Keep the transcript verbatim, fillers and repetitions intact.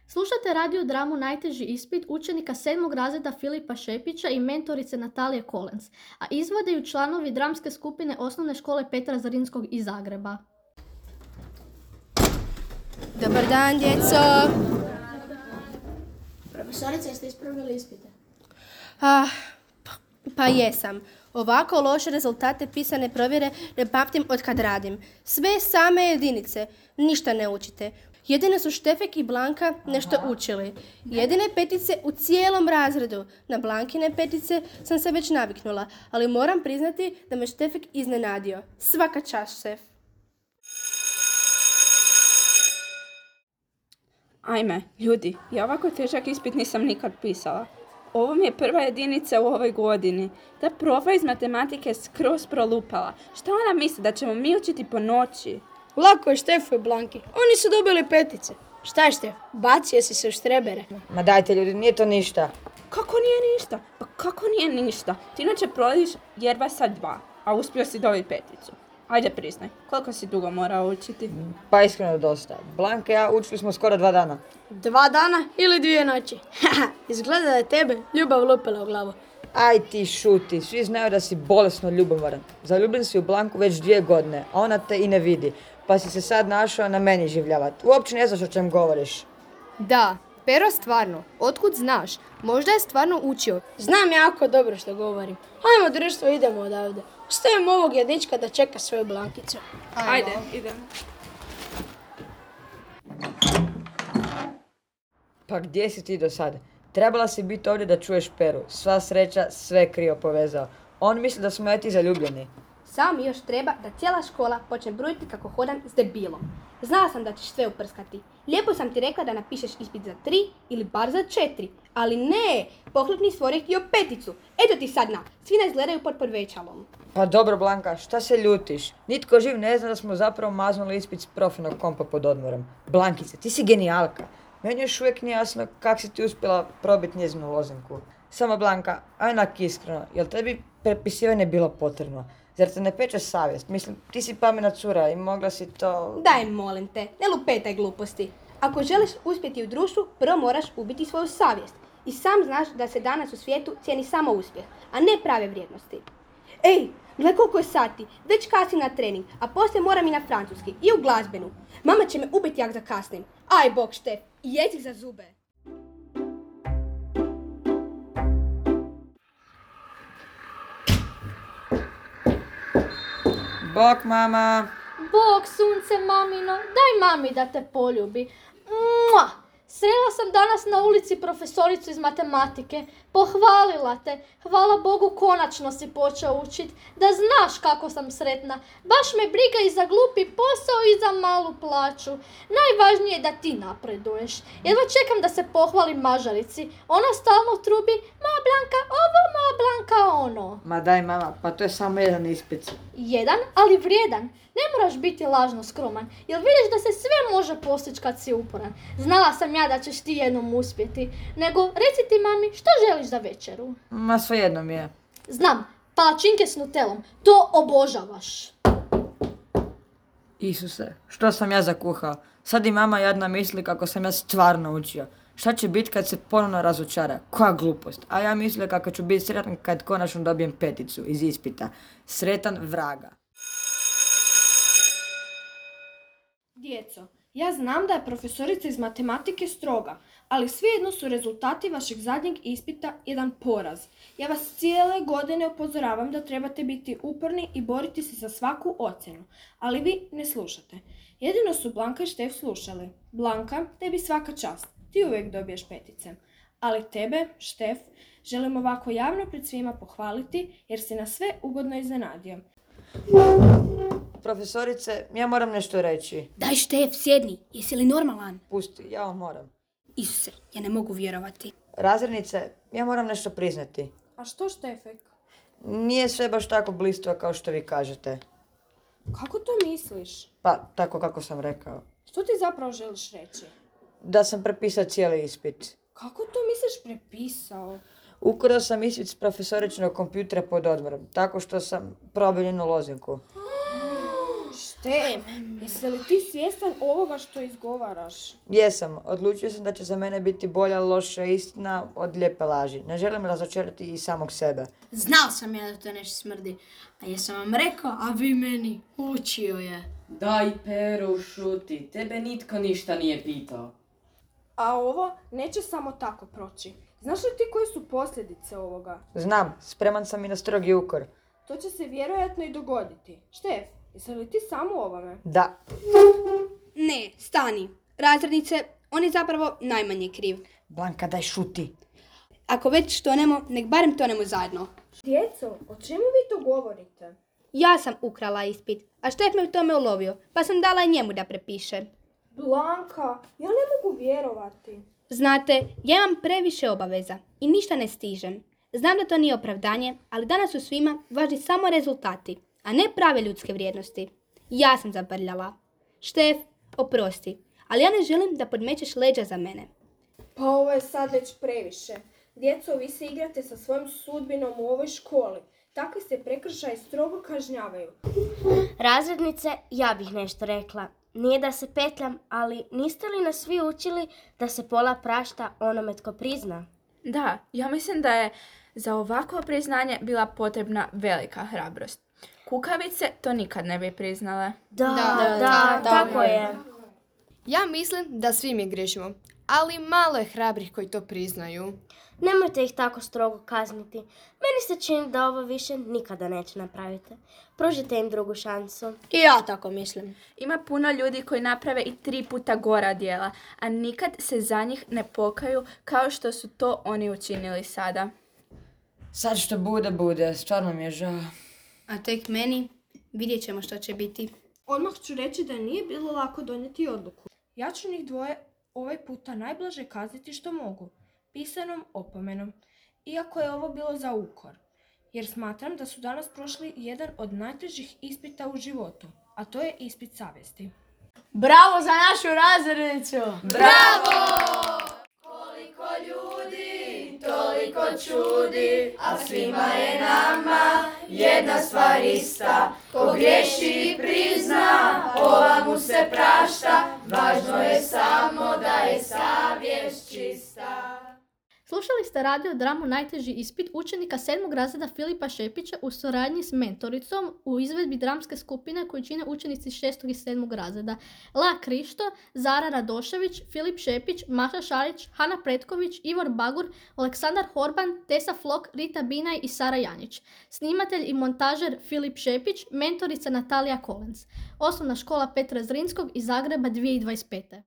Slušate radio dramu Najteži ispit učenika sedmog razreda Filipa Šepića i mentorice Natalije Kolens, a izvode ju članovi dramske skupine osnovne škole Petra Zrinskog iz Zagreba. Dobar dan, djeco! Profesorice, jeste ispravili ispite? Ah, pa, pa jesam. Ovako loše rezultate pisane provjere ne pamtim od kad radim. Sve same jedinice. Ništa ne učite. Jedine su Štefek i Blanka nešto učili. Jedine petice u cijelom razredu. Na Blankine petice sam se već naviknula, ali moram priznati da me Štefek iznenadio. Svaka čast, šef. Ajme, ljudi, ja ovako težak ispit nisam nikad pisala. Ovo mi je prva jedinica u ovoj godini. Ta profa iz matematike je skroz prolupala. Šta ona misli, da ćemo mi učiti po noći? Lako je Štefu i Blanki. Oni su dobili petice. Šta je Štef? Bacio si se u štrebere. Ma dajte ljudi, nije to ništa. Kako nije ništa? Pa kako nije ništa? Ti inače prolaziš jedva sa dva, a uspio si dobiti peticu. Ajde priznaj, koliko si dugo morao učiti? Pa iskreno dosta. Blanka i ja učili smo skoro dva dana. Dva dana ili dvije noći. Izgleda da je tebe ljubav lupila u glavu. Aj ti šuti, svi znaju da si bolesno ljubomoran. Zaljubljen si u Blanku već dvije godine, a ona te i ne vidi. Pa si se sad našao na meni življavat. Uopće ne znaš o čem govoriš. Da, Pero stvarno. Otkud znaš? Možda je stvarno učio. Znam jako dobro što govorim. Ajmo društvo, idemo odavde. Ostavimo ovog jedička da čeka svoju Blankicu. Ajde, idemo. Pa gdje si ti do sada? Trebala si biti ovdje da čuješ Peru. Sva sreća, sve krivo povezao. On misli da smo ja ti zaljubljeni. Samo mi još treba da cijela škola počne brujiti kako hodam s debilom. Znala sam da ćeš sve uprskati. Lijepo sam ti rekla da napišeš ispit za tri ili bar za četiri. Ali ne, poklopni stvorio htio peticu. Eto ti sad na, svi nas gledaju pod podvećalom. Pa dobro Blanka, šta se ljutiš? Nitko živ ne zna da smo zapravo maznuli ispit s profinog kompa pod odmorom. Blankice, ti si genijalka. Meni još uvijek nije jasno kako si ti uspjela probiti njezinu lozenku. Samo Blanka, ajnak iskreno, jel tebi prepisivanje bilo potrebno? Zar te ne peče savjest? Mislim, ti si pametna cura i mogla si to... Daj, molim te, ne lupetaj gluposti. Ako želiš uspjeti u društvu, prvo moraš ubiti svoju savjest. I sam znaš da se danas u svijetu cijeni samo uspjeh, a ne prave vrijednosti. Ej, gle koliko je sati, već kasnim na trening, a poslije moram i na francuski, i u glazbenu. Mama će me ubiti jak zakasnim. Aj, bok Štef, i jezik za zube. Bok, mama! Bog, sunce mamino, daj mami da te poljubi. Mua! Srela sam danas na ulici profesoricu iz matematike. Pohvalila te. Hvala Bogu, konačno si počeo učit. Da znaš kako sam sretna. Baš me briga i za glupi posao i za malu plaću. Najvažnije je da ti napreduješ. Jedva čekam da se pohvalim mažarici. Ona stalno trubi, moja Blanka ovo, moja Blanka ono. Ma daj mama, pa to je samo jedan ispit. Jedan, ali vrijedan. Ne moraš biti lažno skroman, jer vidiš da se sve može postići kad si uporan. Znala sam ja da ćeš ti jednom uspjeti. Nego, reci ti mami, što želiš za večeru? Ma svejedno mi je. Znam, palačinke s nutelom. To obožavaš. Isuse, što sam ja zakuhao? Sad i mama jadna misli kako sam ja stvarno učio. Šta će biti kad se ponovno razočara? Koja glupost. A ja mislila kako ću biti sretan kad konačno dobijem peticu iz ispita. Sretan vraga. Djeco, ja znam da je profesorica iz matematike stroga, ali svejedno su rezultati vašeg zadnjeg ispita jedan poraz. Ja vas cijele godine upozoravam da trebate biti uporni i boriti se za svaku ocjenu, ali vi ne slušate. Jedino su Blanka i Štef slušali. Blanka, tebi svaka čast, ti uvijek dobiješ petice. Ali tebe, Štef, želim ovako javno pred svima pohvaliti jer si nas sve ugodno iznenadio. Profesorice, ja moram nešto reći. Daj Štef, sjedni, jesi li normalan? Pusti, ja vam moram. Isuse, ja ne mogu vjerovati. Razrednice, ja moram nešto priznati. A što Štefek? Nije sve baš tako blistava kao što vi kažete. Kako to misliš? Pa, tako kako sam rekao. Što ti zapravo želiš reći? Da sam prepisao cijeli ispit. Kako to misliš prepisao? Ukrao sam ispit s profesoričinog kompjutera pod odmorom, tako što sam probio njenu lozenku. Štef! Štef, jesi li ti svjestan ovoga što izgovaraš? Jesam, odlučio sam da će za mene biti bolja loša istina od lijepe laži. Ne želim razočarati i samog sebe. Znao sam ja da to nešto smrdi. A jesam vam rekao, a vi meni učio je. Daj, Pero, šuti. Tebe nitko ništa nije pitao. A ovo neće samo tako proći. Znaš li ti koje su posljedice ovoga? Znam, spreman sam i na strogi ukor. To će se vjerojatno i dogoditi. Štef, jesi li ti sam u ovome? Da, Ne, stani. Razrednice, on je zapravo najmanje kriv. Blanka, daj šuti. Ako već tonemo, nek barem tonemo zajedno. Djeco, o čemu vi to govorite? Ja sam ukrala ispit, a Štef me u tome ulovio, pa sam dala i njemu da prepiše. Blanka, ja ne mogu vjerovati. Znate, ja imam previše obaveza i ništa ne stižem. Znam da to nije opravdanje, ali danas su svima važni samo rezultati, a ne prave ljudske vrijednosti. Ja sam zabrljala. Štef, oprosti, ali ja ne želim da podmećeš leđa za mene. Pa ovo je sad već previše. Djeco, vi se igrate sa svojom sudbinom u ovoj školi. Takvi se prekršaji strogo kažnjavaju. Razrednice, ja bih nešto rekla. Nije da se petljam, ali niste li nas svi učili da se pola prašta onome tko prizna? Da, ja mislim da je za ovakvo priznanje bila potrebna velika hrabrost. Kukavice to nikad ne bi priznale. Da, da, da, tako je. Ja mislim da svi mi griješimo, ali malo je hrabrih koji to priznaju. Nemojte ih tako strogo kazniti. Meni se čini da ovo više nikada neće napraviti. Pružite im drugu šansu. I ja tako mislim. Ima puno ljudi koji naprave i tri puta gora djela, a nikad se za njih ne pokaju kao što su to oni učinili sada. Sad što bude, bude. Stvarno mi je žao. A tek meni, vidjet ćemo što će biti. Odmah ću reći da nije bilo lako donijeti odluku. Ja ću njih dvoje ovaj puta najblaže kazniti što mogu. Pisanom opomenom. Iako je ovo bilo za ukor. Jer smatram da su danas prošli jedan od najtežih ispita u životu. A to je ispit savjesti. Bravo za našu razrednicu! Slušali ste radio dramu Najteži ispit učenika sedmog razreda Filipa Šepića u suradnji s mentoricom u izvedbi dramske skupine koju čine učenici šestog i sedmog razreda. La Krišto, Zara Radošević, Filip Šepić, Maša Šarić, Hana Pretković, Ivor Bagur, Aleksandar Horban, Tesa Flok, Rita Binaj i Sara Janjić. Snimatelj i montažer Filip Šepić, mentorica Natalija Kolens. Osnovna škola Petra Zrinskog iz Zagreba dvije tisuće dvadeset pete.